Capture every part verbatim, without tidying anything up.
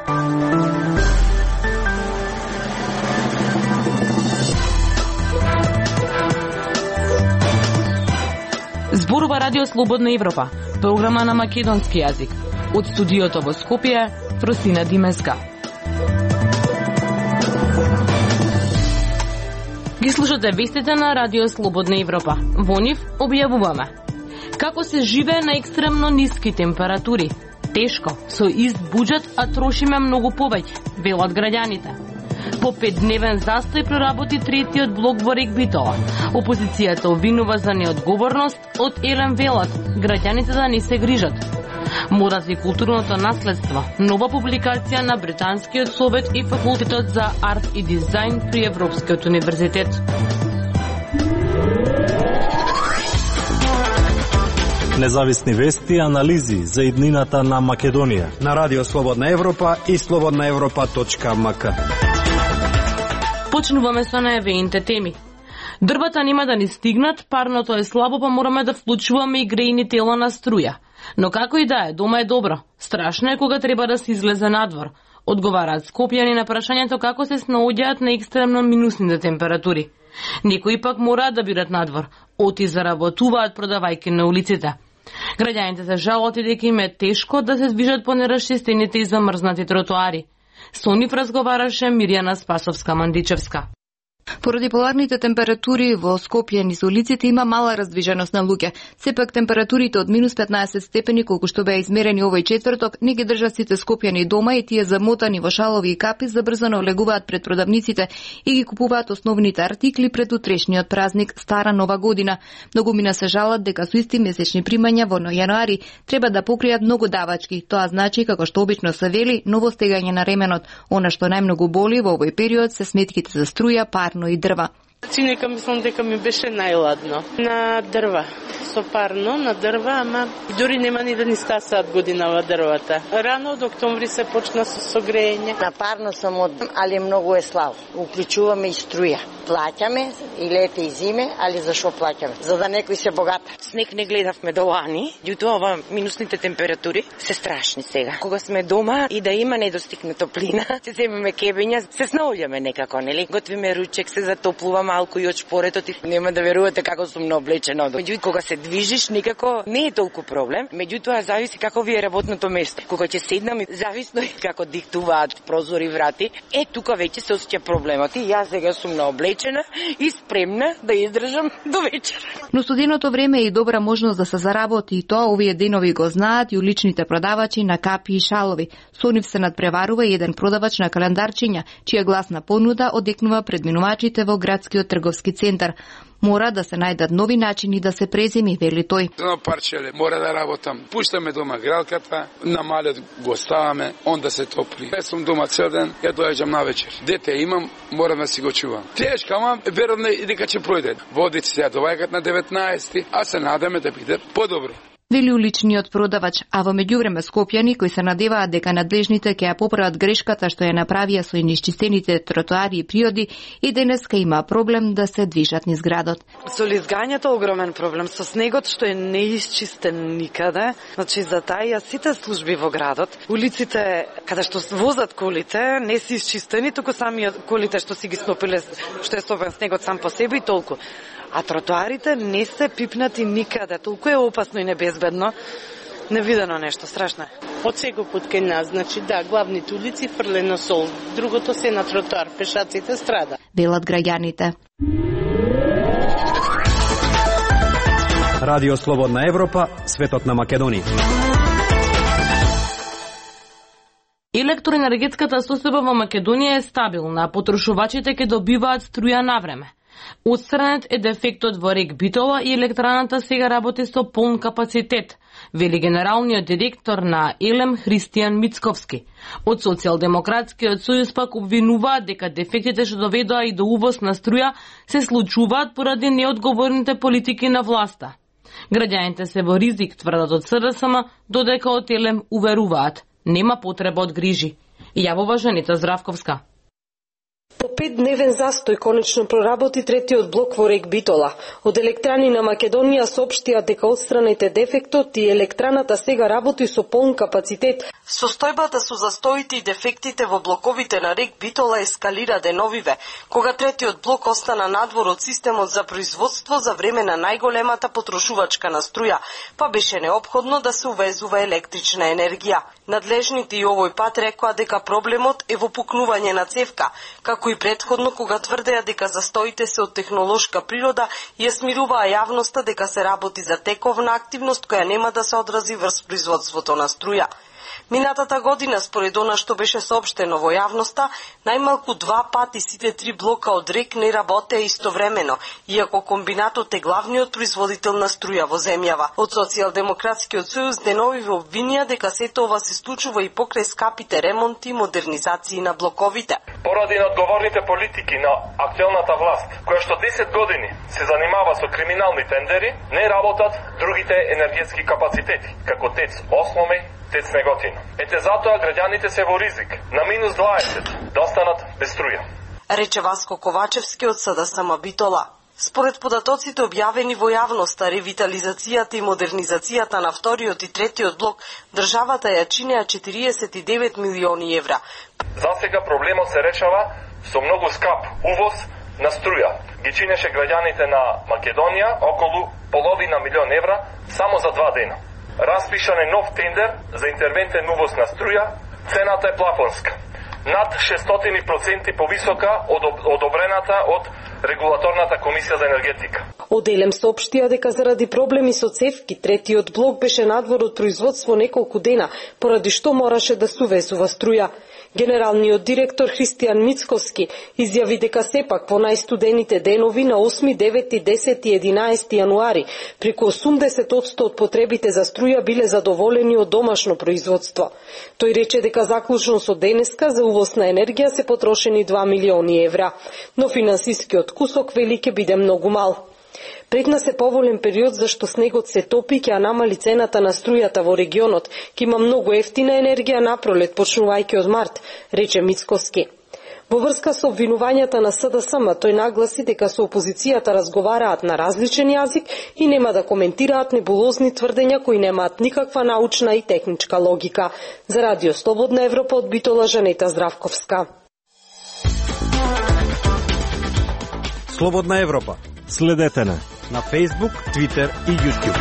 Зборува Радио Слободна Европа, програма на македонски јазик. Од студиото во Скопје, Фросина Димеска. Ги слушате вестите на Радио Слободна Европа. Во нив објавуваме како се живее на екстремно ниски температури. Тешко, со ист буџет, а трошиме многу повеќе, велат граѓаните. По петдневен застој проработи третиот блок во Рек Битола. Опозицијата обвинува за неодговорност, од Елем велат граѓаните да не се грижат. Модат и културното наследство. Нова публикација на Британскиот совет и факултетот за арт и дизајн при Европскиот универзитет. Независни вести и анализи за иднината на Македонија на Радио Слободна Европа и слободна европа точка ем ка. Почнуваме со најавените теми. Дрвата нема да ни стигнат, парното е слабо, па мораме да вклучуваме и грејни тела на струја. Но како и да е, дома е добро. Страшно е кога треба да се излезе надвор. Одговараат скопјани на прашањето како се снаоѓаат на екстремно минусните температури. Некои пак мораат да бидат надвор, оти заработуваат продавајки на улиците. Граѓаните се жалат и дека им е тешко да се движат по неразчистените и замрзнати тротоари. Со нив разговараше Мирјана Спасовска-Мандичевска. Поради поларните температури во Скопје низ улиците има мала раздвиженост на луѓе. Сепак температурите од минус петнаесет степени, колку што беа измерени овој четврток, не ги држат сите скопјани дома и тие замотани во шалови и капи забрзано влегуваат пред продавниците и ги купуваат основните артикли пред утрешниот празник Стара Нова година. Многумина се жалат дека со исти месечни примања во јануари треба да покријат многу давачки. Тоа значи, како што обично се вели, ново стегање на ременот. Она што најмногу боли во овој период се сметките за струја, парно и дрва. Чинека мислам дека ми беше најладно. На дрва, со парно, на дрва, ама дури нема ни да ни стасаат годинава дрвата. Рано од октомври се почна со согрејање. На парно сам од, али многу е слабо. Уклучуваме и струја. Плаќаме и лете и зиме, али зашо плаќаме? За да некој се богата. Снег не гледавме до лани, ѓутоа ова минусните температури се страшни сега. Кога сме дома и да има недостиг на топлина, се земеме кебења, се снаоѓаме некако, нели? Готвиме ручек, се затоплува малку и од шпоретот и нема да верувате како сум наоблечена. Меѓутоа кога се движиш никако не е толку проблем, меѓутоа зависи како ви е работното место. Кога ќе седнам, зависно и како диктуваат прозори врати, е тука веќе се осеќа проблемот и јас сега сум наоблечена и спремна да издржам до вечер. Но студеното време е и добра можност да се заработи и тоа овие денови го знаат и уличните продавачи на капи и шалови. Со нив се надпреварува и еден продавач на календарчиња, чија гласна понуда одекнува пред минувачите во градскиот трговски центар. Мора да се најдат нови начини да се преземи, вели тој. На парчеле мора да работам. Пуштаме дома гралката, на малет го ставаме, он да се топли. Јас сум дома цел ден, ја доаѓам на вечер. Дете имам, морам да си го чувам. Тешка, ама верувам дека ќе пројде. Водици се ја доваѓаат на деветнаесети, а се надаме да биде подобро. Вели уличниот продавач, а во меѓувреме скопјани кои се надеваат дека надлежните ќе ја поправат грешката што ја направија со неисчистените тротоари и приоди и денеска има проблем да се движат низ градот. Со лизгањето огромен проблем, со снегот што е неисчистен никаде, значи за таја сите служби во градот, улиците каде што возат колите не се исчистени, туку сами колите што си ги снопиле, што е стопен снегот сам по себе и толку. А тротоарите не се пипнати никаде, толку е опасно и небезбедно. Невидено нешто, страшно е. Од секој пат кај нас, значи да, главните улици фрлено сол, другото се на тротоар, пешаците страда. Велат граѓаните. Радио Слободна Европа, светот на Македонија. Електроенергетската состојба во Македонија е стабилна, а потрошувачите ќе добиваат струја на време. Отстранет е дефектот во Рек Битола и електраната сега работи со полн капацитет, вели генералниот директор на Елем Христијан Мицковски. Од Социјалдемократскиот сојуз пак обвинуваат дека дефектите што доведоа и до увоз на струја се случуваат поради неодговорните политики на власта. Граѓаните се во ризик, тврдат од СДСМ, додека од Елем уверуваат, нема потреба од грижи. Јавува Жанета Здравковска. По петдневен застој конечно проработи третиот блок во Рек Битола. Од Електрани на Македонија соопштија дека отстранете дефектот и електраната сега работи со полн капацитет. Состојбата со застоите и дефектите во блоковите на Рек Битола ескалира деновиве, кога третиот блок остана надвор од системот за производство за време на најголемата потрошувачка на струја, па беше неопходно да се увезува електрична енергија. Надлежните и овој пат рекоа дека проблемот е во пукнување на цевка, како и претходно кога тврдеа дека застоите се од технолошка природа и ја смируваа јавноста дека се работи за тековна активност која нема да се одрази врз производството на струја. Минатата година, според она што беше соопштено во јавноста, најмалку два пати сите три блока од Рек не работеа истовремено, иако комбинатот е главниот производител на струја во земјава. Од Социјалдемократскиот сојуз деновиве обвинија дека сето ова се случува и покрај скапите ремонти и модернизации на блоковите. Поради неодговорните политики на актуелната власт, која што десет години се занимава со криминални тендери, не работат другите енергетски капацитети, како ТЕЦ Осломе, ТЕЦ Неготино. Ете затоа граѓаните се во ризик на минус дваесет да останат без струја. Рече Васко Ковачевски од СДСМ Битола. Според податоците објавени во јавноста, ревитализацијата и модернизацијата на вториот и третиот блок државата ја чинеа четириесет и девет милиони евра. За сега проблемот се решава со многу скап увоз на струја. Ги чинеше граѓаните на Македонија околу половина милион евра само за два дена. Распишан е нов тендер за интервентен увоз на струја, цената е плафонска. Над шестстотини проценти повисока од одобрената од Регулаторната комисија за енергетика. Оделем соопштија дека заради проблеми со цевки, третиот блок беше надвор од производство неколку дена, поради што мораше да се увезува струја. Генералниот директор Христијан Мицковски изјави дека сепак во најстудените денови на осми, девети, десети и единаесети јануари преку осумдесет одсто од потребите за струја биле задоволени од домашно производство. Тој рече дека заклучно со денеска за увоз на енергија се потрошени два милиони евра, но финансискиот кусок вели ќе биде многу мал. Пред нас е поволен период зашто снегот се топи, ќе намали цената на струјата во регионот, ќе има многу ефтина енергија напролет, почнувајќи од март, рече Мицковски. Во врска со обвинувањата на СДСМ, тој нагласи дека со опозицијата разговараат на различен јазик и нема да коментираат небулозни тврдења кои немаат никаква научна и техничка логика. За Радио Слободна Европа од Битола, Жанета Здравковска. Слободна Европа. Следете на на Facebook, Twitter и YouTube.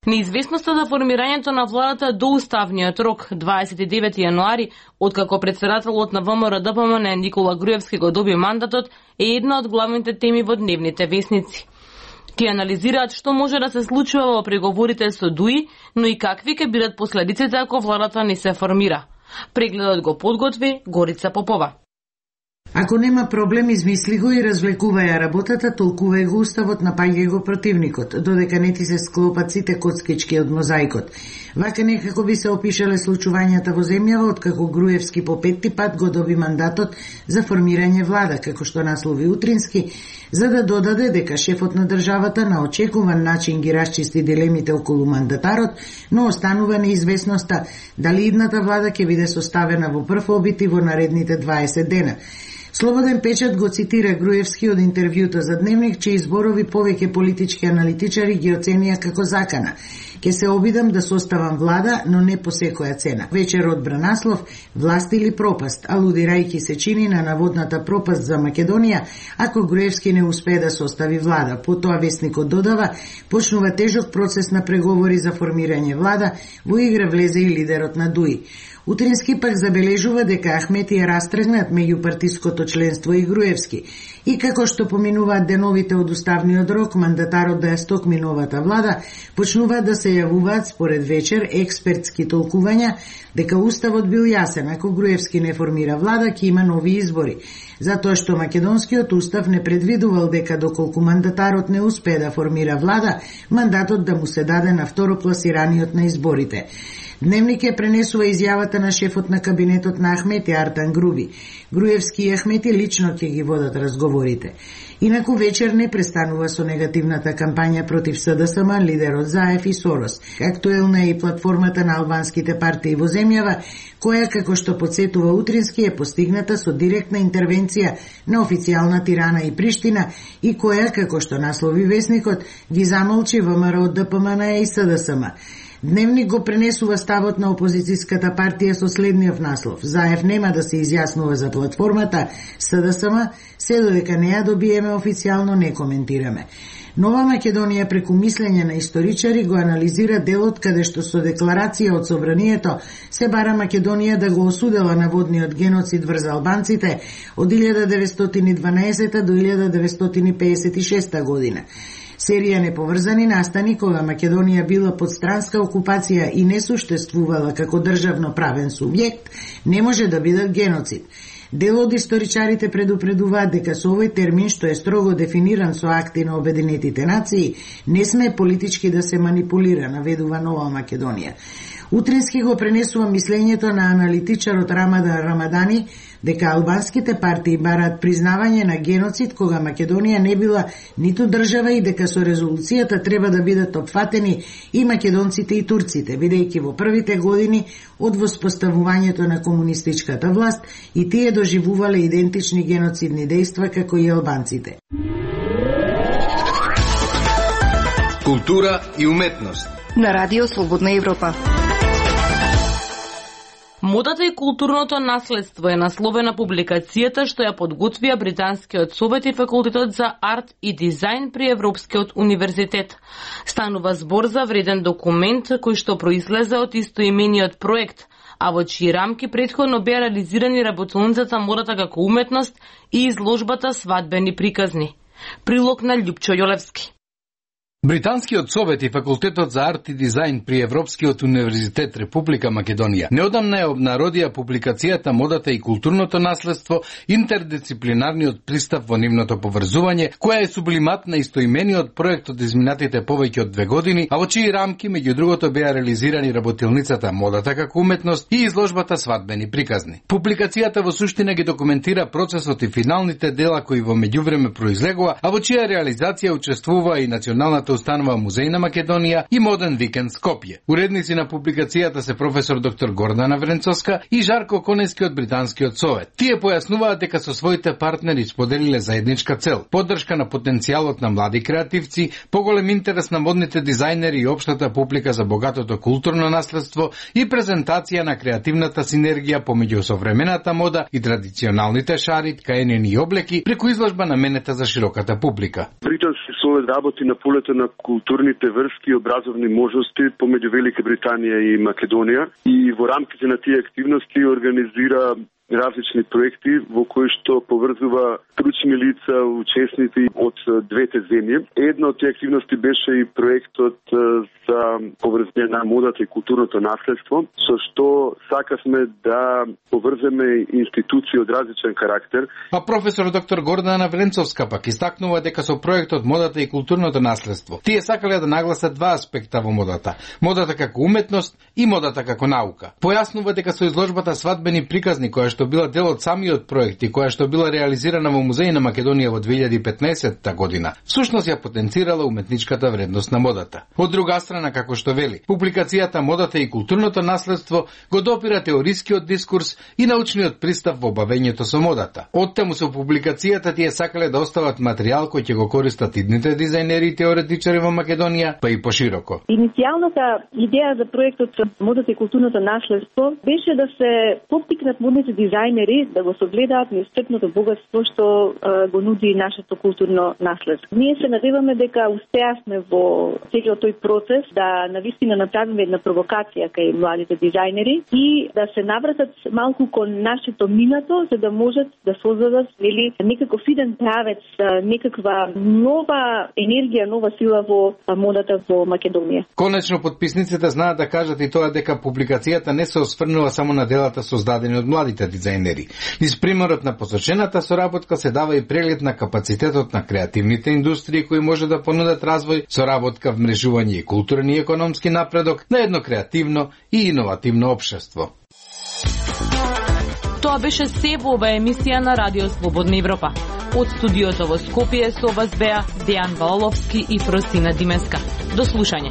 Неизвестноста за формирањето на владата до уставниот рок дваесет и девети јануари, откако претседателот на ВМРО-ДПМН Никола Груевски го доби мандатот, е една од главните теми во дневните весници. Тие анализираат што може да се случува во преговорите со ДУИ, но и какви ќе бидат последиците ако владата не се формира. Прегледот го подготви Горица Попова. Ако нема проблем, измисли го и развлекуваја работата, толкувај го уставот, напаѓај го противникот, додека не ти се склопат сите коцкички од мозаикот. Вака некако би се опишале случувањата во земјава, откако Груевски по петти пат го доби мандатот за формирање влада, како што наслови Утрински, за да додаде дека шефот на државата на очекуван начин ги расчисти дилемите околу мандатарот, но останува неизвестноста дали идната влада ќе биде составена во прв обид и во наредните дваесет дена. Слободен печат го цитира Груевски од интервјуто за Дневник, чии зборови повеќе политички аналитичари ги оценија како закана. Ке се обидам да составам влада, но не по секоја цена. Вечер одбра наслов «Власт или пропаст», алудирајќи се чини на наводната пропаст за Македонија, ако Груевски не успее да состави влада. Потоа вестникот додава, почнува тежок процес на преговори за формирање влада, во игра влезе и лидерот на ДУИ. Утрински пак забележува дека Ахмети е растргнат меѓу партиското членство и Груевски. И како што поминуваат деновите од уставниот рок, мандатарот да ја стокми новата влада, почнуваат да се јавуваат според вечер експертски толкувања дека уставот бил јасен, ако Груевски не формира влада, ќе има нови избори. Затоа што македонскиот устав не предвидувал дека доколку мандатарот не успее да формира влада, мандатот да му се даде на второпласираниот на изборите. Дневник ја пренесува изјавата на шефот на кабинетот на Ахмети Артан Груби. Груевски и Ахмети лично ќе ги водат разговорите. Инаку вечер не престанува со негативната кампања против СДСМ, лидерот Заев и Сорос. Актуелна е и платформата на албанските партии во земјава, која, како што подсетува Утрински, е постигната со директна интервенција на официјална Тирана и Приштина и која, како што наслови весникот, ги замолчи ВМРО, ДПМН и СДСМ. Дневник го пренесува ставот на опозицијската партија со следниот наслов: Заев нема да се изјаснува за платформата, СДСМ, се додека не ја добиеме официјално не коментираме. Нова Македонија преку мислење на историчари го анализира делот каде што со декларација од Собранието се бара Македонија да го осудела наводниот геноцид врз албанците од илјада деветстотини и дванаесета до илјада деветстотини пеесет и шеста година. Серија неповрзани настани кога Македонија била под странска окупација и не суштествувала како државно правен субјект, не може да бидат геноцид. Дел од историчарите предупредуваат дека со овој термин, што е строго дефиниран со акти на Обединетите нации, не сме политички да се манипулира, наведува Нова Македонија. Утрински го пренесува мислењето на аналитичарот Рамадан Рамадани дека албанските партии бараат признавање на геноцид кога Македонија не била ниту држава и дека со резолуцијата треба да бидат опфатени и македонците и турците, бидејќи во првите години од воспоставувањето на комунистичката власт и тие доживувале идентични геноцидни дејства како и албанците. Култура и уметност на Радио Слободна Европа. Модата и културното наследство е насловена публикацијата што ја подготвија Британскиот совет и факултетот за арт и дизајн при Европскиот универзитет. Станува збор за вреден документ кој што произлезе од истоимениот проект, а во чии рамки претходно беа реализирани работилницата Модата како уметност и изложбата Свадбени приказни. Прилог на Љупчо Јолевски. Британскиот совет и факултетот за арт и дизајн при Европскиот универзитет Република Македонија неодамна ја обнародија публикацијата Модата и културното наследство, интердисциплинарниот пристап во нивното поврзување, која е сублимат на истоимениот проект од изминатите повеќе од две години, а во чии рамки меѓу другото беа реализирани работилницата Модата како уметност и изложбата Свадбени приказни. Публикацијата во суштина ги документира процесот и финалните дела кои во меѓувреме произлегува, а во чија реализација учествува и Националната установа Музеј на Македонија и Моден викенд Скопје. Уредници на публикацијата се професор доктор Гордана Вренцовска и Жарко Конески од Британскиот совет. Тие појаснуваат дека со своите партнери споделиле заедничка цел: поддршка на потенцијалот на млади креативци, поголем интерес на модните дизајнери и општата публика за богатото културно наследство и презентација на креативната синергија помеѓу современата мода и традиционалните шари, ткаенини и облеки преку изложба наменета за широката публика. Британски совет работи на полето на културните врски и образовни можности помеѓу Велика Британија и Македонија и во рамките на тие активности организира различни проекти во кои што поврзува стручни лица, учесници од двете земји. Една од тие активности беше и проектот за поврзање на модата и културното наследство, со што сакавме да поврземе институции од различен карактер. А професор доктор Гордана Вренцовска пак истакнува дека со проектот Модата и културното наследство тие сакале да нагласат два аспекта во модата: модата како уметност и модата како наука. Појаснува дека со изложбата Свадбени приказни, која што била дел од самиот проект и која што била реализирана во Музеј на Македонија во две илјади и петнаесетта година, всушност ја потенцирала уметничката вредност на модата. Од друга страна, како што вели, публикацијата Модата и културното наследство го допира теорискиот дискурс и научниот пристап во бавењето со модата. Оттаму со публикацијата тие сакале да остават материјал кој ќе го користат идните дизајнери и теоретичари во Македонија, па и пошироко. Иницијалната идеја за проектот Модата и културното наследство беше да се поттикнат модните дизајнери да го согледаат неисцрпното богатство што а, го нуди нашето културно наследство. Ние се надеваме дека успеавме во целиот тој процес да навистина направиме една провокација кај младите дизајнери и да се навратат малку кон нашето минато, за да можат да создадат нели некаков иден правец, некаква нова енергија, нова сила во модата во Македонија. Конечно подписниците знаат да кажат и тоа дека публикацијата не се осврнува само на делата создадени од младите дизајнери. Низ примерот на посочената соработка се дава и преглед на капацитетот на креативните индустрии кои може да понудат развој, соработка, вмрежување и културен и економски напредок на едно креативно и иновативно општество. Тоа беше се во оваа емисија на Радио Слободна Европа. Од студиото во Скопје со вас беа Дејан Валовски и Просина Димеска. До слушање.